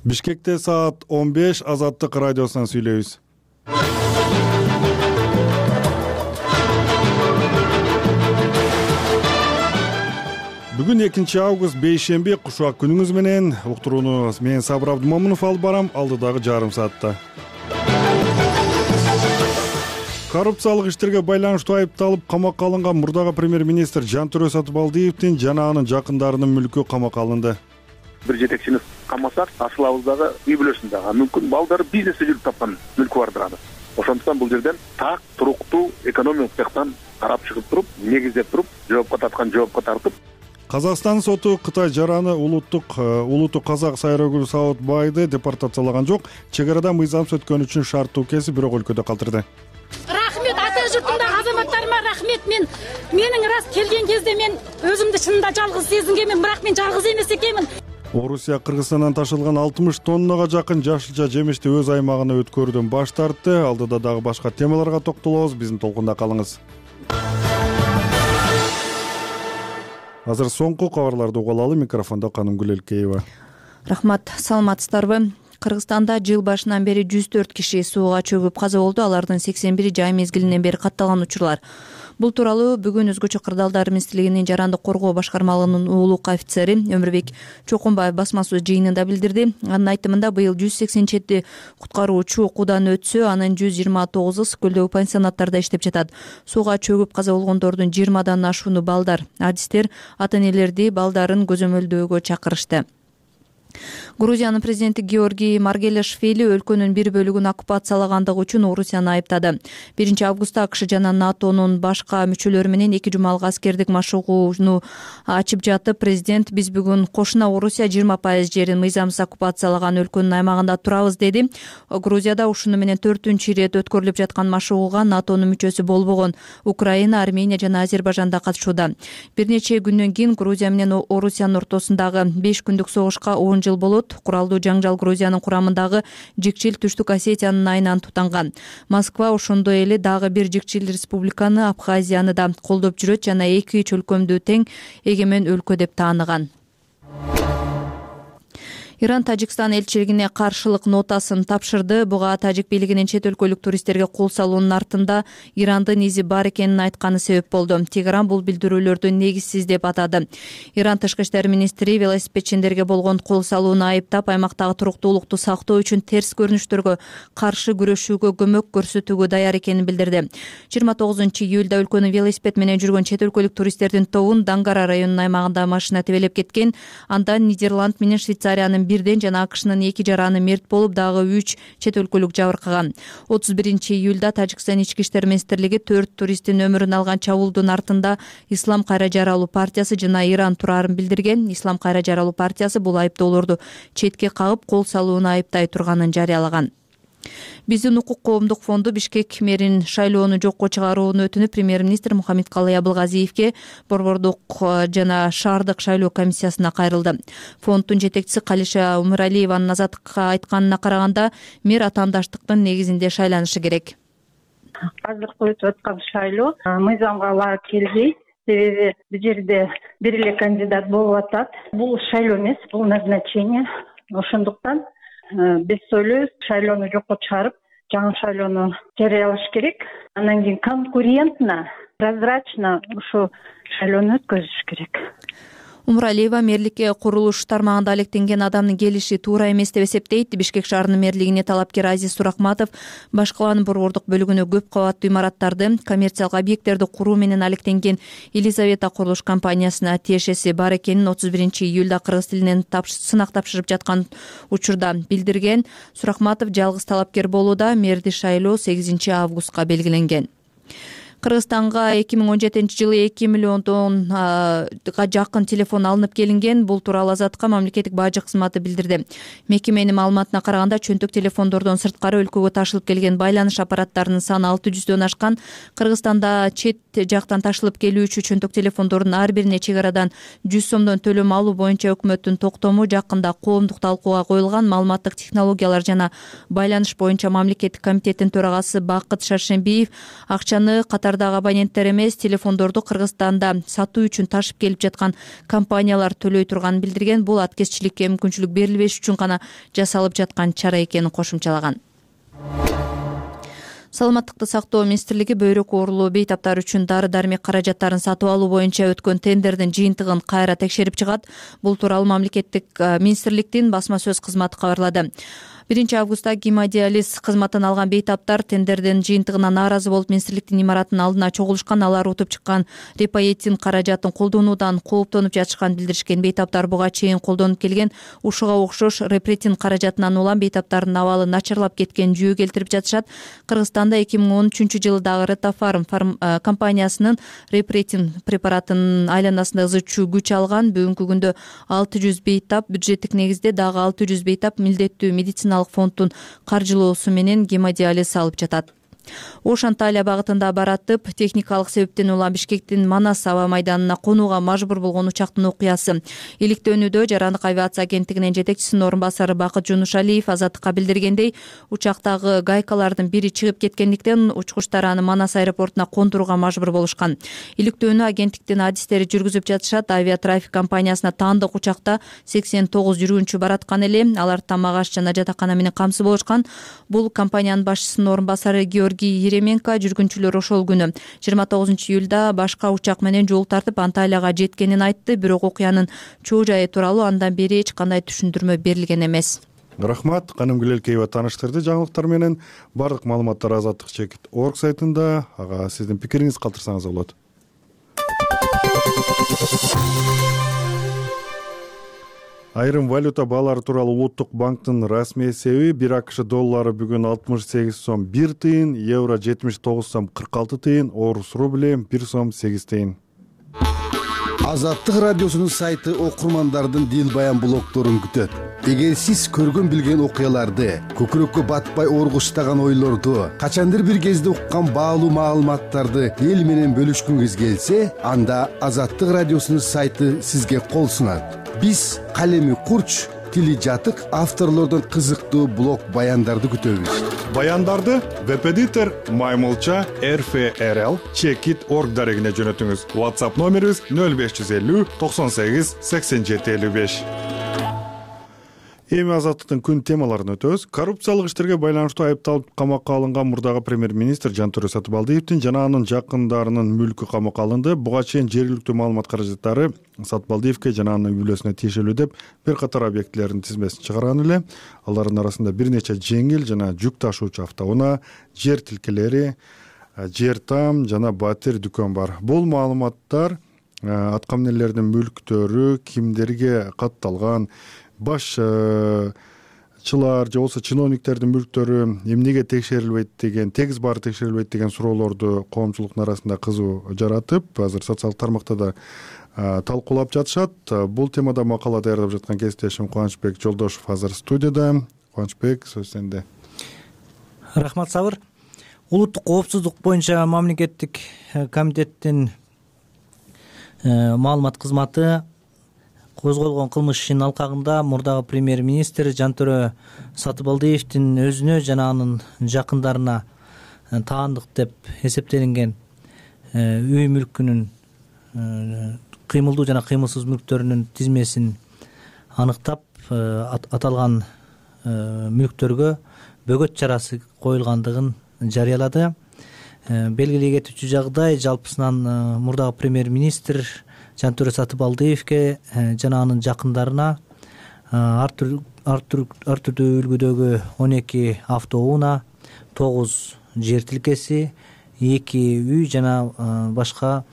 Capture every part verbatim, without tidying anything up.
Бишкекте саат он беш Азаттык радиосунан сүйлөйбүз. Бүгүн экинчи август бейшемби, кушак күнүңүз менен. Уктурууну мен Сабыр Абдымомунов алып барам, алдыдагы жарым саатта. Коррупциялык иштерге байланыштуу айыпталып камакка алынган мурдагы премьер-министр Жантүрө Сатыбалдиевдин жана анын жакындарынын мүлкү камакка алынды. Бир жетекчини камасак, ашылабыздагы үй бүлөсүндөгү мүмкүн балдары бизнесте жүрүп тапкан мүлкү бардыр аны. Ошондуктан бул жерден так, туруктуу экономикалык жактан карап чыгып туруп, негиздеп туруп, жоопко тарткан жоопко тартып. Казакстан соту Кытай жараны улуттук улуттук казак Сайрагүл Саатбайды депортациялаган жок. Чек арада мыйзамсыз өткөн үчүн шарттуу кесип бирок өлкөдө калтырды. Рахмет ата журтундагы азаматтарыма рахмет. Мен менин раз келген кезде мен өзүмдү чынында жалгыз сезингенмин, бирок мен жалгыз эмес экенмин. Орусия Кыргызстандан ташылган алтымыш тоннага жакын жашылча жемишти өз аймагына өткөрүүдөн баш тартты. Алдыда дагы башка темаларга токтолобуз. Биздин толкунда калыңыз. Азыр соңку кабарларды угулалы. Микрофондо Канымгүл Элкеева. Рахмат, саламатсыздарбы? Кыргызстанда жыл башынан бери жүз төрт киши сууга чөгүп каза болду. Алардын сексен бири жай мезгилинен бери катталган учурлар. Бул тууралуу бүгүн Өзгөчө кырдаалдар министрлигинин жарандык коргоо башкармалыгынын уулук офицери Өмүрбек Чокунбаев басма сөз жыйынында билдирди. Анын айтымында быйыл жүз сексен жети куткаруучу окуудан өтсө, анын жүз жыйырма тогузу Скөлдөгү пансионаттарда иштеп жатат. Сууга чөгүп каза болгондордун жыйырмадан ашууну балдар. Адистер ата-энелерди балдарын көзөмөлдөөгө чакырышты. Грузиянын президенти Георгий Маргелишвили өлкөнүн бир бөлүгүн оккупациялагандыгы үчүн Орусияны айыптады. биринчи августта АКШ жана НАТОнун башка мүчөлөрү менен эки жумалык аскердик машыгууну ачып жатып, президент биз бүгүн кошуна Орусия жыйырма пайыз жерин мыйзамсыз оккупациялаган өлкөнүн аймагында турабыз деди. Грузияда ушуну менен төртүнчү ирет өткөрүлүп жаткан машыгууга НАТОнун мүчөсү болбогон Украина, Армения жана Азербайжан да катышууда. Бир нече күндөн кийин Грузия менен Орусиянын ортосундагы беш күндүк согушка он жыл болот. Куралдуу жаңжал Грузиянын курамындагы Жикчил Түштүк Осетиянын айынан тутанган. Москва ошондой эле дагы бир Жикчил республиканы, Абхазияны да колдоп жүрөт жана эки чөлкөмдүү тең эгемен өлкө деп тааныган. Иран Тажикстан элчилигине каршылык нотасын тапшырды. Буга тажик бийлигинин чет өлкөлүк туристтерге кол салуунун артында Ирандын изи бар экенин айтканы себеп болду. Тегеран бул билдирүүлөрдү негизсиз деп атады. Иран тышкы иштер министри велосипедчиндерге болгон кол салууну айыптап, аймактагы туруктуулукту сактоо үчүн терс көрүнүштөргө каршы күрөшүүгө көмөк көрсөтүүгө даяр экенин билдирди. жыйырма тогузунчу июлда өлкөнүн велосипед менен жүргөн чет өлкөлүк туристтердин тобун Дангара районунун аймагында машина тебелеп кеткен. Анда Нидерланд менен Швейцариянын бирден жана АКШнын эки жараны мерт болуп, дагы үч чет өлкөлүк жабыркаган. отуз биринчи июлда Тажикстан ички иштер министрлиги төрт туристтин өмүрүн алган чабуулдун артында Ислам кайра жаралуу партиясы жана Иран турарын билдирген. Ислам кайра жаралуу партиясы бул айыптоолорду четке кагып, кол салууну айыптай турганын жарыялаган. Биздин укук коомдук фонду Бишкек мэрин шайлоону жокко чыгарууну өтүнүп, премьер-министр Мухаммедкалый Абылгазиевке борбордук жана шаардык шайлоо комиссиясына кайрылды. Фонддун жетекчиси Калиша Умуралиеванын Азаттыкка айтканына караганда, мэр атаандаштыктын негизинде шайланышы керек. Азыркы өтүп аткан шайлоо мыйзамга ылайык келбейт. Себеби бул жерде бир эле кандидат болуп атат. Бул шайлоо эмес, бул назначение. Ошондуктан биз ойлойбуз, шайлоону жокко чыгарып, жаңы шайлоону жарыялаш керек. Андан кийин конкурентно, прозрачно ушу шайлоону өткөзүш керек. Умуралиева мэрликке курулуш тармагында алектенген адамдын келиши туура эмес деп эсептейт. Бишкек шаарынын мэрлигине талапкер Азиз Сурахматов Баш калаанын борбордук бөлүгүнө көп кабаттуу имараттарды, коммерциялык объекттерди куруу менен алектенген Елизавета курулуш компаниясына тиешеси бар экенин отуз биринчи июлда кыргыз тилинен сынак тапшырып жаткан учурда билдирген. Сурахматов жалгыз талапкер болууда. Мэрди шайлоо сегизинчи августка белгиленген. Кыргызстанга эки миң он жетинчи жылы эки миллионга жакын телефон алынып келинген. Бул тууралуу Азатка мамлекеттик бажы кызматы билдирди. Мекеменин маалыматына караганда, чөнтөк телефондордон сырткары өлкөгө ташылып келген байланыш аппараттарынын саны алты жүздөн ашкан. Кыргызстанда чет жактан ташылып келүүчү чөнтөк телефондордун ар бирине чек арадан жүз сомдон төлөм алуу боюнча өкмөттүн токтому жакында коомдук талкууга коюлган маалыматтык технологиялар жана байланыш боюнча мамлекеттик комитеттин төрагасы Бакыт Шаршембиев акчаны катардагы абоненттер эмес, телефондорду Кыргызстанда сатуу үчүн ташып келип жаткан компаниялар төлөй турганын билдирген. Бул аткезчиликке мүмкүнчүлүк берилбеш үчүн гана жасалып жаткан чара экенин кошумчалаган. Саламаттыкты сактоо министрлиги бөйрөк оорулуу бейтаптар үчүн дары-дармек каражаттарын сатып алуу боюнча өткөн тендердин жыйынтыгын кайра текшерип чыгат. Бул тууралуу мамлекеттик министрликтин басма сөз кызматы кабарлады. биринчи августта гемодиализ кызматын алган бейтаптар тендердин жыйынтыгына нааразы болуп министрликтин имаратынын алдына чогулушкан. Алар утуп чыккан репаетин каражатын колдонуудан кооптонуп жатышканын билдиришкен. Бейтаптар буга чейин колдонуп келген ушуга окшош репретин каражатынан улам бейтаптардын абалы начарлап кеткен жүйө келтирип жатышат. Кыргызстанда эки миң он үчүнчү жылы дагы Ретофарм компаниясынын репретин препаратынын айланасында ызычуу күч алган. Бүгүнкү күндө алты жүз бейтап бюджеттик негизде, дагы алты жүз бейтап милдеттүү медицина фонддун каржылоосу менен гемодиализ алып жатат. Ош Анталия багытында баратып, техникалык себептен улам Бишкектин Манас аба майданына конууга мажбур болгон учактын окуясы. Иликтөөнүүдө Жарандык авиация агенттигинин жетекчисинин орун басары Бакыт Жунушалиев Азаттыкка билдиргендей, учактагы гайкалардын бири чыгып кеткендиктен учкучтар аны Манас аэропортуна кондурууга мажбур болушкан. Иликтөөнү агенттиктин адистери жүргүзүп жатышат. Авиатрафик компаниясына таандык учакта сексен тогуз жүргүнчү бараткан эле. Алар тамак аш жана жатакана менен камсыз болушкан. Бул компаниянын башчысынын орун басары Георгий Еременко жүргүнчүлөр ошол күнү жыйырма тогузунчу июлда башка учак менен жол тартып Анталияга жеткенин айтты. Бирок окуянын чоо жайы тууралуу андан бери эч кандай түшүндүрмө берилген эмес. Рахмат. Канымгүл Элкеева тааныштырды жаңылыктар менен. Бардык маалыматтар азаттык чекит орг сайтында. Ага сиздин пикириңиз калтырсаңыз болот. Айрым валюта баалары тууралуу Улуттук банктын расмий эсеби бир АКШ доллары бүгүн алтымыш сегиз сом бир тыйын, евро жетимиш тогуз сом кырк алты тыйын, орус рубли бир сом сегиз тыйын. Азаттык радиосунун сайты окурмандардын дил баян блогдорун күтөт. Эгер сиз көргөн билген окуяларды, көкүрөккө батпай оргуштаган ойлорду, качандыр бир кезде уккан баалуу маалыматтарды эл менен бөлүшкүңүз келсе, анда Азаттык радиосунун сайты сизге кол сунат. Биз калеми курч, тили жатык авторлордон кызыктуу блог баяндарды күтөбүз. Баяндарды веб-эдитор Маймылча эр эф эр эл чекит орг дарегине жөнөтүңүз. WhatsApp номерибиз нөл беш жүз элүү токсон сегиз сексен жети элүү беш. Эми азаттыктын күн темаларын өтөбүз. Коррупциялык иштерге байланыштуу айыпталып камакка алынган мурдагы премьер-министр Жантөре Сатыбалдиевдин жана анын жакындарынын мүлкү камакка алынды. Буга чейин жергиликтүү маалымат каражаттары Сатыбалдиевке жана анын үй бүлөсүнө тиешелүү деп бир катар объектилердин тизмесин чыгарган эле. Алардын арасында бир нече жеңил жана жүк ташуучу автоунаа, жер тилкелери, жер там жана батир дүкөн бар. Бул маалыматтар аткаминерлердин мүлктөрү кимдерге катталган, башчылар же болбосо чиновниктердин мүлктөрү эмнеге текшерилбейт деген, тегиз баары текшерилбейт деген суроолорду коомчулуктун арасында кызуу жаратып, азыр социалдык тармакта да талкуулап жатышат. Бул темада макала даярдап жаткан кесиптешим Кубанычбек Жолдошов азыр студияда. Кубанычбек, сөз сенде. Рахмат, Сабыр. Улуттук коопсуздук боюнча мамлекеттик комитеттин маалымат кызматы козголгон кылмыш ишинин алкагында мурдагы премьер-министр Жантөре Сатыбалдиевдин өзүнө жана анын жакындарына таандык деп эсептелинген үй мүлкүнүн кыймылдуу жана кыймылсыз мүлктөрүнүн тизмесин аныктап, аталган мүлктөргө бөгөт чарасы коюлгандыгын жарыялады. Белгилей кетүүчү жагдай, жалпысынан мурдагы премьер-министр Жантөре Сатыбалдиевке жана анын жакындарына ар түрдүү үлгүдөгү он эки автоунаа, тогуз жер тилкеси, эки үй жана башка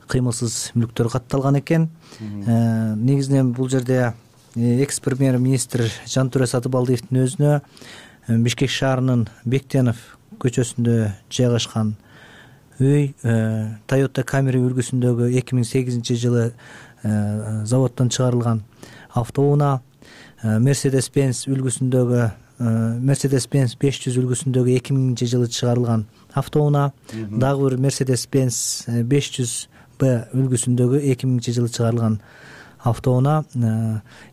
кыймылсыз мүлктөр катталган экен. Негизинен бул жерде экс премьер-министр Жантөре Сатыбалдиевдин өзүнө Бишкек шаарынын Бектенов көчөсүндө жайгашкан үй, Toyota Camry үлгүсүндөгү эки миң сегизинчи жылы заводдон чыгарылган автоунаа, мерседес бенз үлгүсүндөгү мерседес бенз беш жүз үлгүсүндөгү эки миңинчи жылы чыгарылган автоунаа, дагы бир мерседес бенз беш жүз б үлгүсүндөгү эки миңинчи жылы чыгарылган автоунаа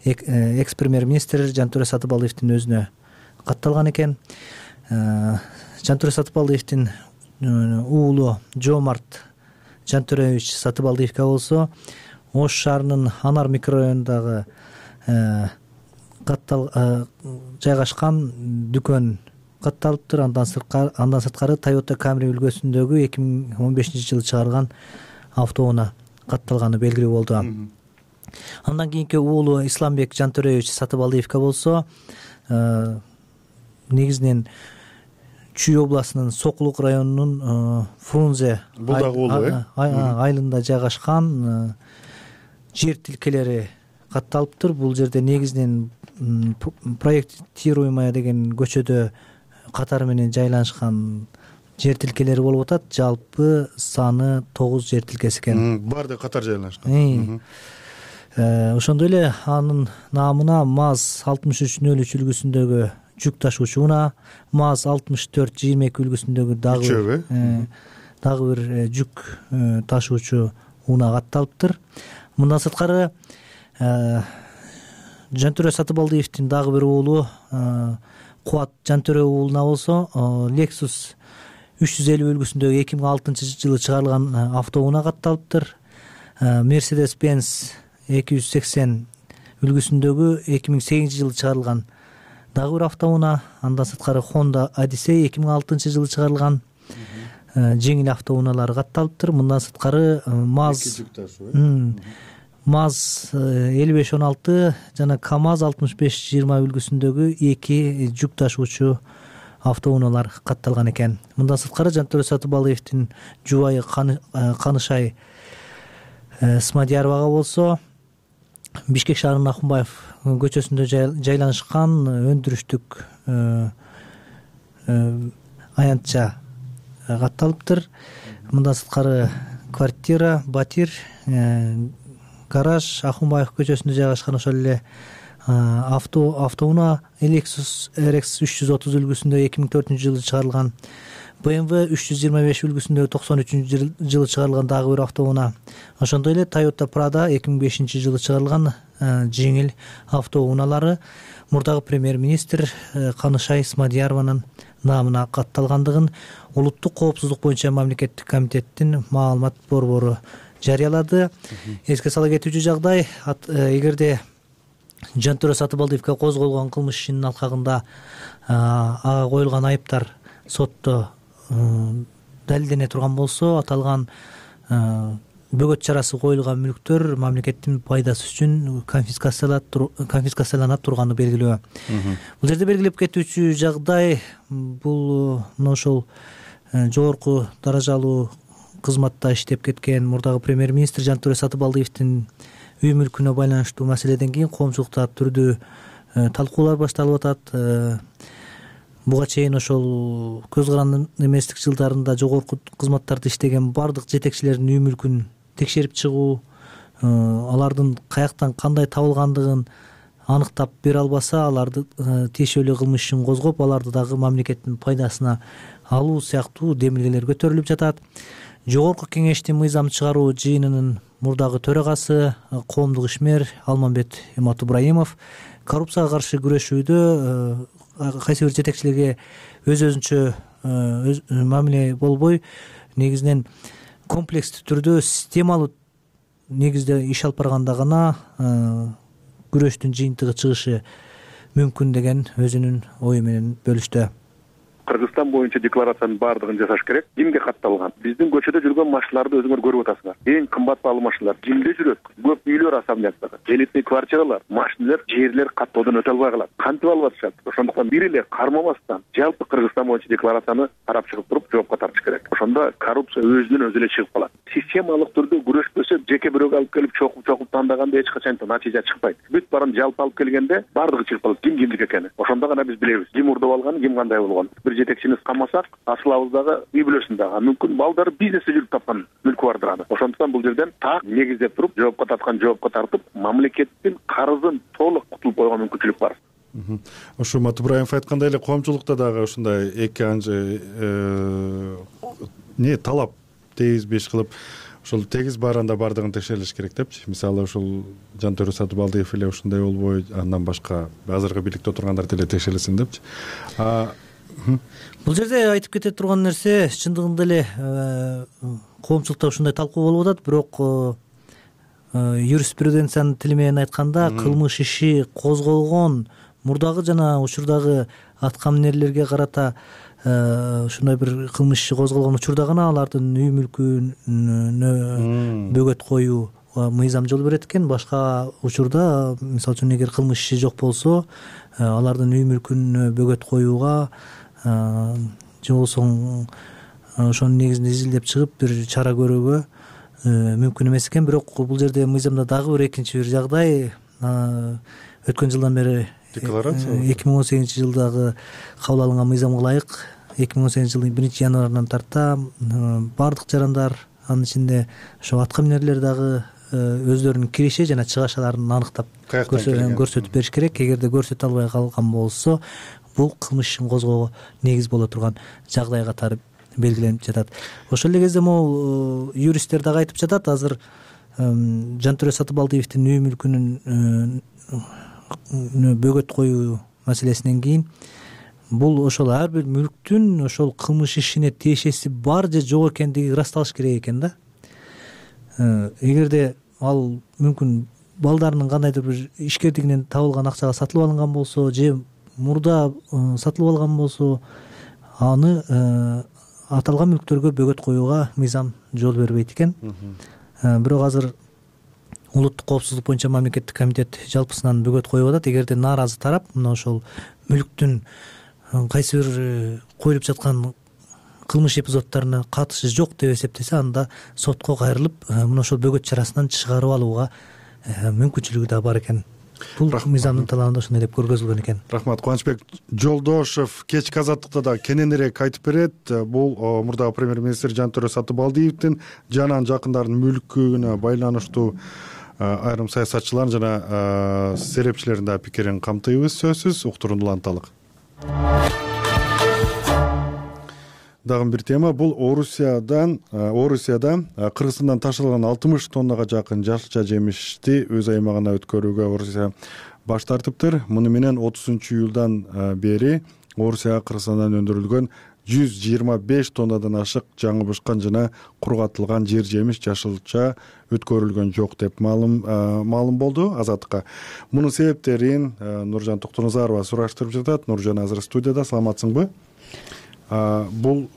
экс премьер министр Жантөре Сатыбалдиевдин өзүнө катталган экен. Жантөре Сатыбалдиевдин уулу Жомарт Жантөревич Сатыбалдиевге болсо Ош шаарынын Анар микрорайонундагы каттал жайгашкан дүкөн катталыптыр. Андан сырткары андан сырткары Toyota Camry үлгүсүндөгү эки миң он бешинчи жылы чыгарылган автоунаа катталганы белгилүү болду. Андан кийинки уулу Исламбек Жантөревич Сатыбалдиевге болсо негизинен Чүй областынын Сокулук районунун Фрунзе айылында жайгашкан жер тилкелери катталыптыр. Бул жерде негизинен проектируемая деген көчөдө катары менен жайланышкан жер тилкелери болуп атат. Жалпы саны тогуз жер тилкеси экен. Баардыгы катар жайланышкан. Ошондой эле анын наамына МАЗ алтымыш үч нөл үч үлгүсүндөгү жүк ташуучу унаа, МАЗ алтымыш төрт жыйырма эки үлгүсүндөгү дагы дагы бир жүк ташуучу унаа катталыптыр. Мындан сырткары Жантөре Сатыбалдиевдин дагы бир уулу Кубат Жантөре уулуна болсо Lexus үч жүз элүү үлгүсүндөгү эки миң алтынчы жылы чыгарылган автоунаа катталыптыр. Mercedes Benz эки жүз сексен үлгүсүндөгү эки миң сегизинчи жылы чыгарылган дагы бир автоунаа. Андан сырткары Honda Odyssey эки миң алтынчы жылы чыгарылган жеңил автоунаалары катталыптыр. Мындан сырткары МАЗ МАЗ элүү беш он алты жана КамАЗ алтымыш беш жыйырма үлгүсүндөгү эки жүк ташуучу автоунаалар катталган экен. Мындан сырткары Жантөре Сатыбалдиевдин жубайы Канышай Смадияровага болсо Бишкек шаарынын Акунбаев көчөсүндө жайланышкан өндүрүштүк аянтча катталыптыр. Мындан сырткары квартира, батир, гараж Акунбаев көчөсүндө жайгашкан ошол эле авто автоунаа Lexus эр экс үч жүз отуз үлгүсүндө эки миң төртүнчү жылы чыгарылган, бэ эм вэ үч жүз жыйырма беш үлгүсүндө токсон үчүнчү жылы чыгарылган дагы бир автоунаа. Ошондой эле Toyota Prado эки миң бешинчи жылы чыгарылган жеңил автоунаалары мурдагы премьер-министр Канышай Смадиярованын наамына катталгандыгын улуттук коопсуздук боюнча мамлекеттик комитеттин маалымат борбору жарыялады. Эске сала кетүүчү жагдай, эгерде Жантөре Сатыбалдиевге козголгон кылмыш ишинин алкагында ага коюлган айыптар сотто далилдене турган болсо, аталган бөгөт чарасы коюлган мүлктөр мамлекеттин пайдасы үчүн конфискацияланат турганы белгилүү. Бул жерде белгилеп кетүүчү жагдай, бул мына ошол жогорку даражалуу кызматта иштеп кеткен мурдагы премьер-министр Жантөре Сатыбалдиевдин үй мүлкүнө байланыштуу маселеден кийин коомчулукта түрдүү талкуулар башталып атат. Буга чейин ошол көз каранды эместик жылдарында жогорку кызматтарда иштеген бардык жетекчилердин үй мүлкүн текшерип чыгуу, алардын каяктан кандай табылгандыгын аныктап бере албаса, аларды тиешелүү кылмыш ишин козгоп, аларды дагы мамлекеттин пайдасына алуу сыяктуу демилгелер көтөрүлүп жатат. Жогорку кеңештин мыйзам чыгаруу жыйынынын мурдагы төрагасы, коомдук ишмер Алмамбет Иматубраимов коррупцияга каршы күрөшүүдө кайсы бир жетекчилерге өз өзүнчө мамиле болбой, негизинен комплекстүү түрдө системалуу негизде иш алып барганда гана күрөштүн жыйынтыгы чыгышы мүмкүн деген өзүнүн ою менен бөлүштү. Кыргызстан боюнча декларациянын баардыгын жасаш керек. Кимге катталган? Биздин көчөдө жүргөн машиналарды өзүңөр көрүп атасыңар. Эң кымбат баалуу машиналар кимде жүрөт? Көп үйлөр особняктар, элитный квартиралар, машиналар, жерлер каттоодон өтө албай калат. Кантип алып атышат? Ошондуктан бир эле кармамастан жалпы Кыргызстан боюнча декларацияны карап чыгып туруп жоопко тартыш керек. Ошондо коррупция өзүнөн өзү эле чыгып калат. Системалык түрдө күрөшпөсө, жеке бирөөгө алып келип чокуп-чокуп тандаганда эч качан натыйжа чыкпайт. Бүт баарын жалпы алып келгенде бардыгы чыгып калат, ким кимдики экени. Ошондо гана биз билебиз, ким урдуп алган, ким кандай болгон. Бир бир жетекчибиз камасак ашылабыз дагы үй бүлөсүн дагы мүмкүн балдары бизнесте жүрүп тапкан мүлкү бардыр аны. Ошондуктан бул жерден так негиздеп туруп жоопко тарткан жоопко тартып мамлекеттин карызын толук кутулуп койгон мүмкүнчүлүк бар. Ушу Матыбраев айткандай эле коомчулукта дагы ушундай эки анчы не талап тийгизбей иш кылып ошол тегиз баарында баардыгын текшерилиш керек депчи. Мисалы ушул Жантөрө Сатыбалдиев эле ушундай болбой, андан башка азыркы бийликте отургандар деле текшерилсин депчи. Бул жерде айтып кете турган нерсе чындыгында эле коомчулукта ушундай талкуу болуп атат, бирок юриспруденциянын тили менен айтканда кылмыш иши козголгон мурдагы жана учурдагы аткам эмнелерге карата ушундай бир кылмыш иши козголгон учурда гана алардын үй мүлкүнө бөгөт коюу мыйзам жол берет экен. Башка учурда мисалы үчүн эгер кылмыш иши жок болсо алардын үй мүлкүнө бөгөт коюуга же болбосо ошонун негизинде изилдеп чыгып бир чара көрүүгө мүмкүн эмес экен. Бирок бул жерде мыйзамда дагы бир экинчи бир жагдай өткөн жылдан бери эки миң он сегизинчи жылдагы кабыл алынган мыйзамга ылайык эки миң он сегизинчи жылдын биринчи январынан тарта баардык жарандар, анын ичинде ошо аткам эмнелер дагы өздөрүнүн киреше жана чыгашаларын аныктап көрсөтүп бериш керек. Эгерде көрсөтө албай калган болсо бул кылмыш ишин козгоого негиз боло турган жагдай катары белгиленип жатат. Ошол эле кезде могу юристтер дагы айтып жатат, азыр Жантөрө Сатыбалдиевдин үй мүлкүнүн бөгөт коюу маселесинен кийин бул ошол ар бир мүлктүн ошол кылмыш ишине тиешеси бар же жок экендиги ырасталыш керек экен да. Эгерде ал мүмкүн балдарынын кандайдыр бир ишкердигинен табылган акчага сатылып алынган болсо же мурда сатылып алган болсо аны аталган мүлктөргө бөгөт коюуга мыйзам жол бербейт экен. Бирок азыр улуттук коопсуздук боюнча мамлекеттик комитет жалпысынан бөгөт коюп атат. Эгерде нааразы тарап мына ошол мүлктүн кайсы бир коюлуп жаткан кылмыш эпизоддоруна катышы жок деп эсептесе, анда сотко кайрылып мына ошол бөгөт чарасынан чыгарып алууга мүмкүнчүлүгү да бар экен. Бул мыйзамдын талабында ошондой деп көргөзүлгөн экен. Рахмат. Кубанычбек Жолдошев кечки азаттыкта да кененирээк айтып берет. Бул мурдагы премьер-министр Жантөрө Сатыбалдиевдин жана анын жакындарынын мүлкүнө байланыштуу айрым саясатчылардын жана серепчилердин да пикирин камтыйбыз сөзсүз. Уктуруну уланталык. Дагы бир тема, бул Орусиядан Орусияда Кыргызстандан ташылган алтымыш тоннага жакын жашылча жемишти өз аймагына өткөрүүгө Орусия баш тартыптыр. Муну менен отузунчу июлдан бери Орусияга Кыргызстандан өндүрүлгөн жүз жыйырма беш тоннадан ашык жаңы бышкан жана кургатылган жер жемиш жашылча өткөрүлгөн жок деп маалым маалым болду Азаттыкка. Мунун себептерин Нуржан Токтоназарова сураштырып жатат. Нуржан азыр студияда. Саламатсыңбы? Бул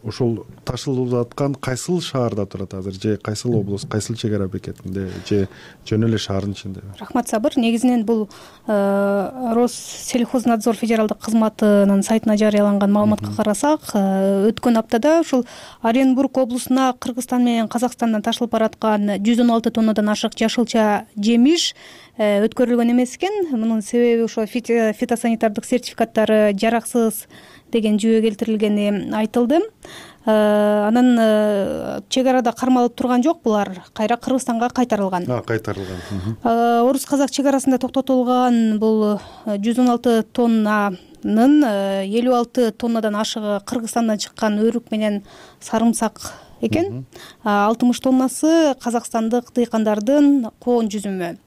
ушул ташылып жаткан кайсыл шаарда турат азыр, же кайсыл облус, кайсыл чек ара бекетинде, же жөн эле шаардын ичиндеби? Рахмат, Сабыр. Негизинен бул Россельхознадзор федералдык кызматынын сайтына жарыяланган маалыматка карасак, өткөн аптада ушул Оренбург облусуна Кыргызстан менен Казакстандан ташылып бараткан жүз он алты тоннадан ашык жашылча жемиш өткөрүлгөн эмес экен. Мунун себеби ошо фитосанитардык сертификаттары жараксыз деген жүйө келтирилгени айтылды. Анан чек арада кармалып турган жок, булар кайра Кыргызстанга кайтарылган. Кайтарылган. Орус-казак чек арасында токтотулган бул жүз он алты тоннанын элүү алты тоннадан ашыгы Кыргызстандан чыккан өрүк менен сарымсак экен. алтымыш тоннасы казакстандык дыйкандардын коон жүзүмү.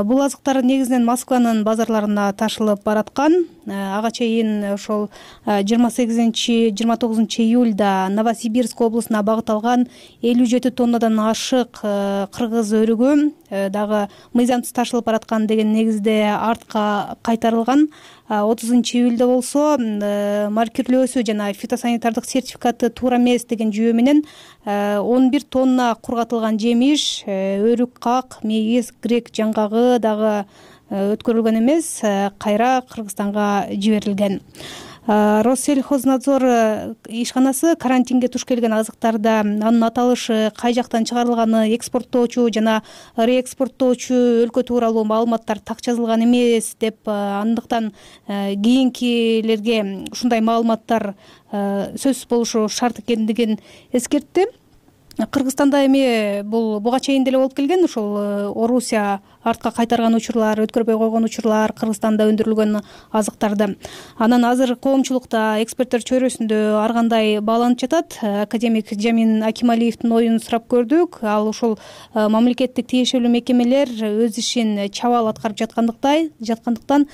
Бул азыктар негизинен Москванын базарларына ташылып бараткан. Ага чейин ошол жыйырма сегизинчи жыйырма тогузунчу июлда Новосибирск облусуна багыт алган элүү жети тоннадан ашык кыргыз өрүгү дагы мыйзамсыз ташылып бараткан деген негизде артка кайтарылган. отузунчу июлда болсо маркирлөөсү жана фитосанитардык сертификаты туура эмес деген жүйө менен он бир тонна кургатылган жемиш, өрүк как, мейиз, грек жаңгагы дагы өткөрүлгөн эмес, кайра Кыргызстанга жиберилген. Россельхознадзор ишканасы карантинге туш келген азыктарда анын аталышы, кай жактан чыгарылганы, экспорттоочу жана реэкспорттоочу өлкө тууралуу маалыматтар так жазылган эмес деп, андыктан кийинкилерге ушундай маалыматтар сөзсүз болушу шарт экендигин эскертти. Кыргызстанда эми бул буга чейин деле болуп келген, ошол Орусия артка кайтарган учурлар, өткөрбөй койгон учурлар Кыргызстанда өндүрүлгөн азыктарды. Анан азыр коомчулукта, эксперттер чөйрөсүндө ар кандай бааланып жатат. Академик Жамин Акималиевдин оюн сурап көрдүк. Ал ушул мамлекеттик тиешелүү мекемелер өз ишин чабал аткарып жаткандыктай жаткандыктан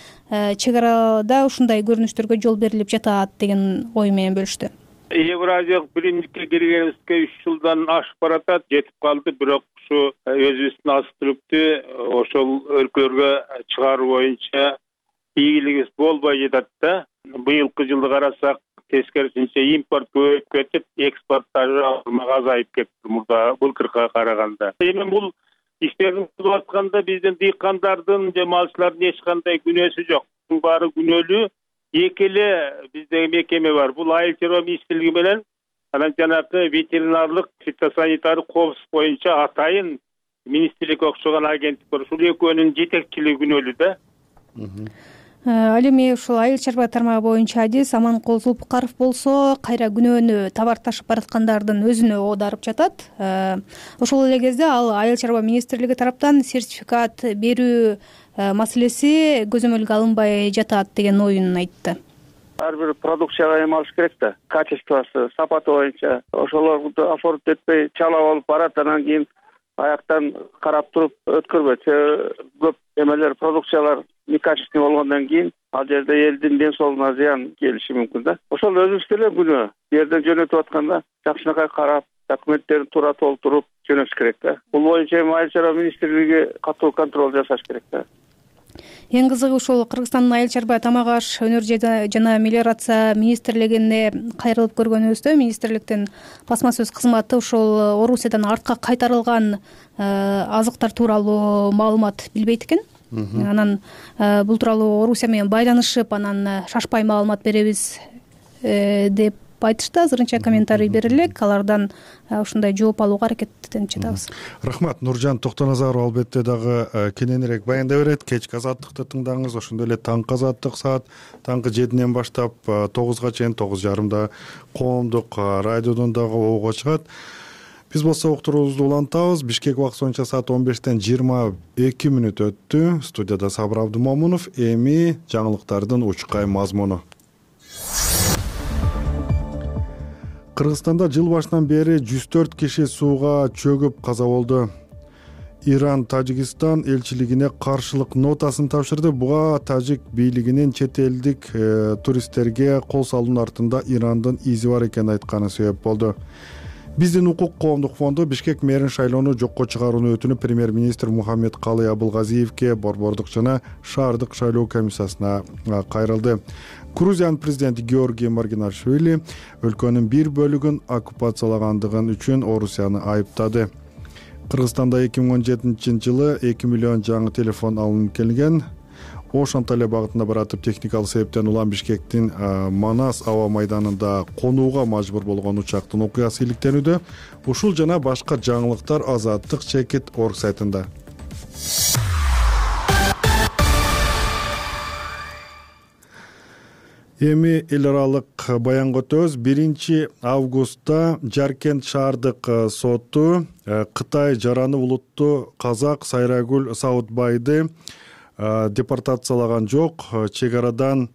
чек арада ушундай көрүнүштөргө жол берилип жатат деген ою менен бөлүштү. Евразиялык биримдикке киргенибизге үч жылдан ашып баратат, жетип калды. Бирок ушу өзүбүздүн азык түлүктү ошол өлкөлөргө чыгаруу боюнча ийгилигибиз болбой жатат да. Быйылкы жылды карасак, тескерисинче импорт көбөйүп кетип, экспорт азайып кетти мурда былтыркыга караганда. Эми бул иштердин кылып атканда биздин дыйкандардын же малчылардын эч кандай күнөөсү жок. Бул баары күнөөлүү. Эки эле бизде мекеме бар. Бул Айыл чарба министрлиги менен анан жанагы ветеринарлык фитосанитардык коопсуздук боюнча атайын министрликке окшогон агенттик бар. Ушул экөөнүн жетекчилиги күнөөлүү да. Ал эми ушул айыл чарба тармагы боюнча адис Аманкул Зулпукаров болсо, кайра күнөөнү товар ташып бараткандардын өзүнө оодарып жатат. Ошол эле кезде ал айыл чарба министрлиги тараптан сертификат берүү маселеси көзөмөлгө алынбай жатат деген оюн айтты. Ар бир продукцияга эме алыш керек да, качествосы, сапаты боюнча. Ошолорду оформить этпей чалап алып барат, анан кийин аяктан карап туруп өткөрбөйт. Көп эмелер, продукциялар некачественный болгондон кийин ал жерде элдин ден соолугуна зыян келиши мүмкүн да. Ошол өзүбүздө эле күнөө. Бу жерден жөнөтүп атканда жакшынакай карап, документтерин туура толтуруп жөнөтүш керек да. Бул боюнча эми айыл чарба министрлиги катуу контроль жасаш керек да. Эң кызыгы ушул Кыргызстандын айыл чарба тамак аш өнөр жана мелиорация министрлигине кайрылып көргөнүбүздө, министрликтин басма сөз кызматы ушул Орусиядан артка кайтарылган азыктар тууралуу маалымат билбейт экен. Анан бул тууралуу Орусия менен байланышып, анан шашпай маалымат беребиз деп айтышты. Азырынча комментарий берилек, алардан ушундай жооп алууга аракеттенип жатабыз. Рахмат. Нуржан Токтоназаров албетте дагы кененирээк баяндай берет. Кечки азаттыкты тыңдаңыз, ошондой эле таңкы азаттык саат таңкы жетиден баштап тогузга чейин, тогуз жарымда коомдук радиодон дагы оого чыгат. Биз болсо уктуруубузду улантабыз. Бишкек убакыты боюнча саат он бештен жыйырма эки мүнөт өттү. Студияда Сабыр Абдумомунов. Эми жаңылыктардын учкай мазмуну. Кыргызстанда жыл башынан бери жүз төрт киши сууга чөгүп каза болду. Иран Тажикстан элчилигине каршылык нотасын тапшырды. Буга тажик бийлигинин чет элдик э, туристтерге кол салуунун артында Ирандын изи бар экенин айтканы себеп болду. Биздин укук коомдук фонду Бишкек мэрин шайлоону жокко чыгарууну өтүнүп премьер-министр Мухаммед Калый Абылгазиевке, борбордук жана шаардык шайлоо комиссиясына кайрылды. Грузиянын президенти Георгий Маргинашвили өлкөнүн бир бөлүгүн оккупациялагандыгын үчүн Орусияны айыптады. Кыргызстанда эки миң он жетинчи жылы эки миллион жаңы телефон алынып келген. Ош Анталия багытында баратып техникалык себептен улам Бишкектин Манас аба майданында конууга мажбур болгон учактын окуясы иликтенүүдө. Ушул жана башка жаңылыктар Азаттык чекит орг сайтында. Эми эл аралык баянга өтөбүз. биринчи августта Жаркент шаардык соту Кытай жараны улуттуу казак Сайрагүл Саудбайды депортациялаган жок, чек арадан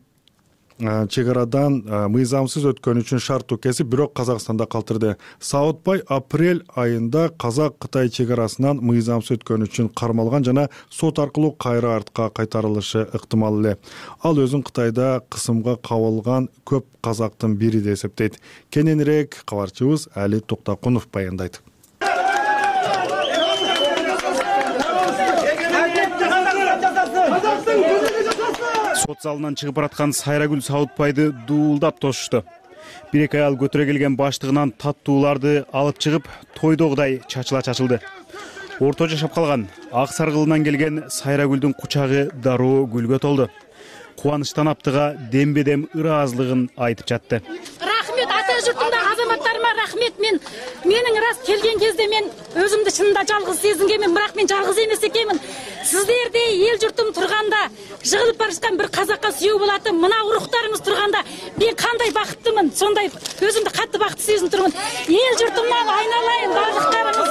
чек арадан мыйзамсыз өткөн үчүн шарттуу кесип, бирок Казакстанда калтырды. Саудбай апрель айында Казак-Кытай чек арасынан мыйзамсыз өткөн үчүн кармалган жана сот аркылуу кайра артка кайтарылышы ыктымал эле. Ал өзүн Кытайда кысымга кабылган көп казактын бири деп эсептейт. Кененирээк кабарчыбыз Али Токтокунов баяндайт. Сот залынан чыгып бараткан Сайрагүл Саудбайды дуулдап тосушту. Бир эки аял көтөрө келген баштыгынан таттууларды алып чыгып, тойдогудай чачыла чачылды. Орто жашап калган ак саргылынан келген Сайрагүлдүн кучагы дароо гүлгө толду. кубанычтан аптыга дембедем ыраазылыгын айтып жатты. Рахмет ата журтумдагы азаматтарыма рахмет. Мен менин рас келген кезде мен өзүмдү чынында жалгыз сезингенмин, бирок мен жалгыз эмес экенмин. Сиздердей эл журтум турганда, жыгылып барышкан бир казакка сүйөө болот. Мына уруктарыңыз турганда мен кандай бакыттымын. Сондай өзүмдү катты бакытты сезинип турмун. Эл журтумдан айналайын бардыктарыңыз.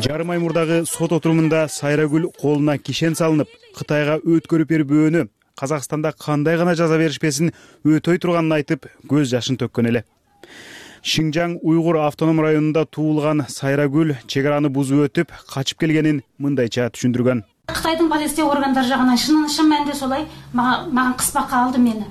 Жарым ай мурдагы сот отурумунда Сайрагүл колуна кишен салынып, Кытайга өткөрүп бербөөнү, Казакстанда кандай гана жаза беришпесин өтөй турганын айтып, көз жашын төккөн эле. Шинжаң уйгур автоном районунда туулган Сайрагүл чек араны бузуп өтүп, качып келгенин мындайча түшүндүргөн. Кытайдын полиция органдары жагынан шын шын мәнинде солай мага кыспакка алды мени.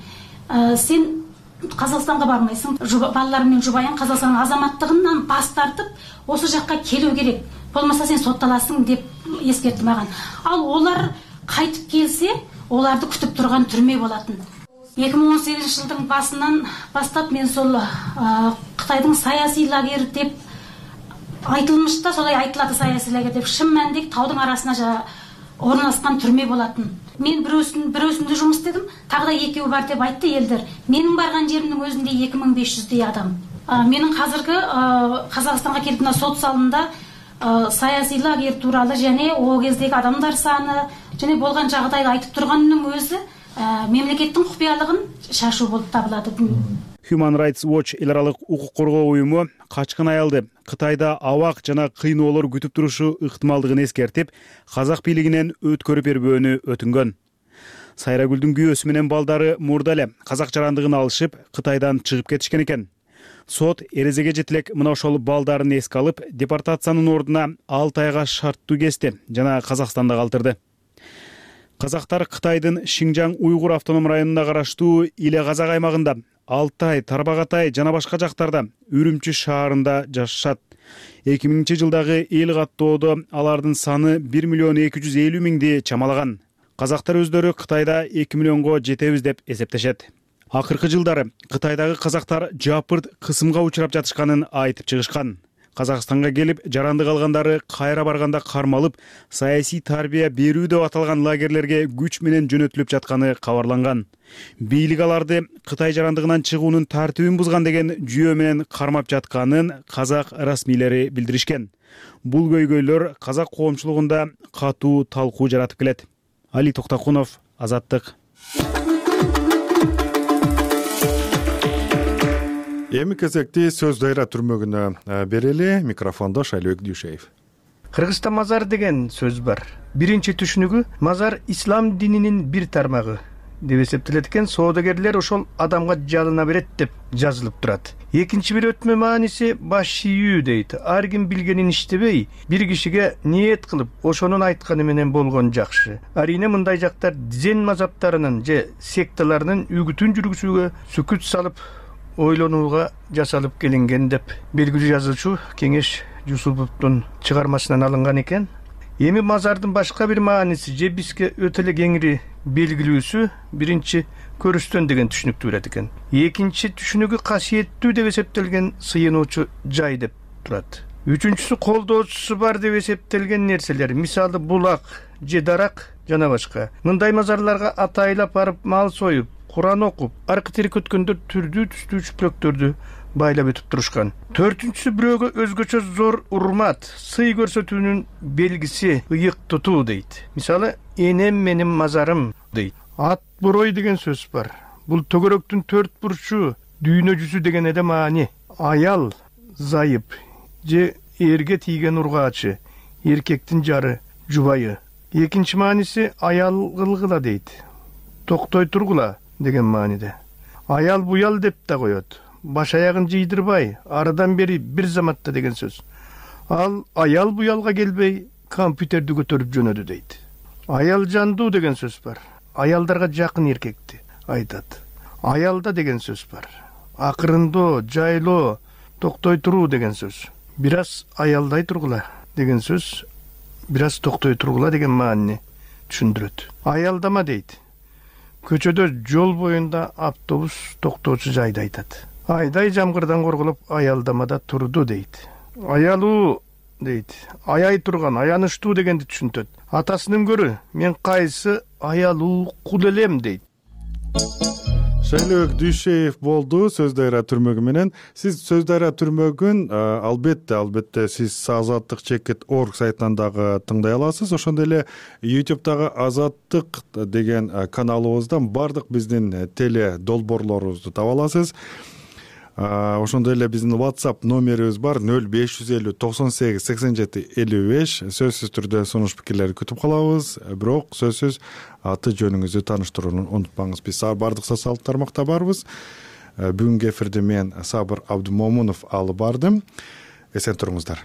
Сен Казакстанга бармайсың, балаларың менен жубайың Казакстандын азаматтыгынан бас тартып, осы жакка келүү керек. Болмаса сен сотталасың деп эскертти мага. Ал олар кайтып келсе, оларды күтүп турган түрмө болатын. эки миң он сегизинчи жылдын басынан бастап мен сол Кытайдын саясий лагері деп айтылмышта, солай айтылады саясий лагер деп, шын мәнинде таудын арасына орналаскан түрмө болатын. Мен бирөөсүн бирөөсүндө жумуш истедим, тагы да экөө бар деп айтты элдер. Менин барган жеримдин өзүндө эки миң беш жүздөй адам. Менин азыркы Казакстанга келип мына сот залында саясий лагер тууралуу жана о кездеги адамдар саны жана болгон жагдайды айтып турганымдын өзү мемлекеттин купуялыгын шашуу болуп табылат. Human Rights Watch эл аралык укук коргоо уюму качкын аялды Кытайда абак жана кыйноолор күтүп турушу ыктымалдыгын эскертип, казак бийлигинен өткөрүп бербөөнү өтүнгөн. Сайрагүлдүн күйөөсү менен балдары мурда эле казак жарандыгын алышып, Кытайдан чыгып кетишкен экен. Сот эрезеге жетилек мына ошол балдарын эске алып, депортациянын ордуна алты айга шарттуу кести жана Казакстанда калтырды. Казактар Кытайдын Шинжаң уйгур автоном районуна караштуу Иле Казак аймагында, Алтай, Тарбагатай жана башка жактарда, Үрүмчү шаарында жашашат. эки миңинчи жылдагы эл каттоодо алардын саны бир миллион эки жүз элүү миңди чамалаган. Казактар өздөрү Кытайда эки миллионго жетебиз деп эсептешет. Акыркы жылдары Кытайдагы казактар жапырт кысымга учурап жатышканын айтып чыгышкан. Казакстанга келип жарандык алгандары кайра барганда кармалып, саясий тарбия берүү деп аталган лагерлерге күч менен жөнөтүлүп жатканы кабарланган. Бийлик аларды Кытай жарандыгынан чыгуунун тартибин бузган деген жүйө менен кармап жатканын казак расмийлери билдиришкен. Бул көйгөйлөр казак коомчулугунда катуу талкуу жаратып келет. Али Токтокунов, Азаттык. Эми кезекти сөз дайра түрмөгүнө берели. Микрофондо Шайлыбек Дүйшеев. Кыргызста мазар деген сөз бар. Биринчи түшүнүгү мазар ислам дининин бир тармагы деп эсептелет экен. Соодагерлер ошол адамга жалына берет деп жазылып турат. Экинчи бир өтмө мааниси баш ийүү дейт. Ар ким билгенин иштебей, бир кишиге ниет кылып, ошонун айтканы менен болгон жакшы. Арине мындай жактар дзен мазаптарынын же секталарынын үгүтүн жүргүзүүгө сүкүт салып ойлонууга жасалып келинген деп белгилүү жазуучу Кеңеш Жусуповдун чыгармасынан алынган экен. Эми мазардын башка бир мааниси же бизге өтө эле кеңири белгилүүсү биринчи көрүстөн деген түшүнүктү берет экен. Экинчи түшүнүгү касиеттүү деп эсептелген сыйынуучу жай деп турат. Үчүнчүсү колдоочусу бар деп эсептелген нерселер, мисалы булак же дарак жана башка. Мындай мазарларга атайлап барып мал союп, Куран окуп, аркы-терк өткөндөр түрдүү түстүү чүплөктөрдү байлап өтүп турушкан. Төртүнчүсү бирөөгө өзгөчө зор урмат, сый көрсөтүүнүн белгиси ыйык тутуу дейт. Мисалы, энем менин мазарым дейт. Ат борой деген сөз бар. Бул төгөрөктүн төрт бурчу, дүйнө жүзү деген эде маани. Аял, зайып же эрге тийген ургаачы, эркектин жары, жубайы. Экинчи мааниси аял кылгыла дейт. Токтой тургула деген мааниде. Аял буял деп да коет. Баш аягын жыйдырбай, арыдан бери бир заматта деген сөз. Ал аял буялга келбей, компьютерди көтөрүп жөнөдү дейт. Аял жандуу деген сөз бар. Аялдарга жакын эркекти айтат. Аялда деген сөз бар. Акырындоо, жайлоо, токтой туруу деген сөз. Бир аз аялдай тургула деген сөз, бир аз токтой тургула деген маанини түшүндүрөт. Аялдама дейт. Көчөдө жол боюнда автобус токтоочу жайды айтат. Айдай жамгырдан корголуп аялдамада турду дейт. Аялуу дейт. Аяй турган, аянычтуу дегенди түшүнтөт. Атасынан көрү мен кайсы аялуу кул элем дейт. шайлообек дүйшеев болду сөз дайра түрмөгү менен. Сиз сөз дайра түрмөгүн албетте албетте сиз азаттык чекит орг сайтынан дагы тыңдай аласыз. Ошондой эле ютубтагы азаттык деген каналыбыздан бардык биздин теле долбоорлорубузду таба аласыз. Ошондой эле биздин WhatsApp номерибиз бар нөл беш жүз элүү токсон сегиз сексен жети элүү беш. Сөзсүз түрдө сунуш пикирлерди күтүп калабыз. Бирок сөзсүз аты жөнүңүздү тааныштырууну унутпаңыз. Биз бардык социалдык тармакта барбыз. Бүгүнкү эфирди мен Сабыр Абдымомунов алып бардым. Эсен туруңуздар.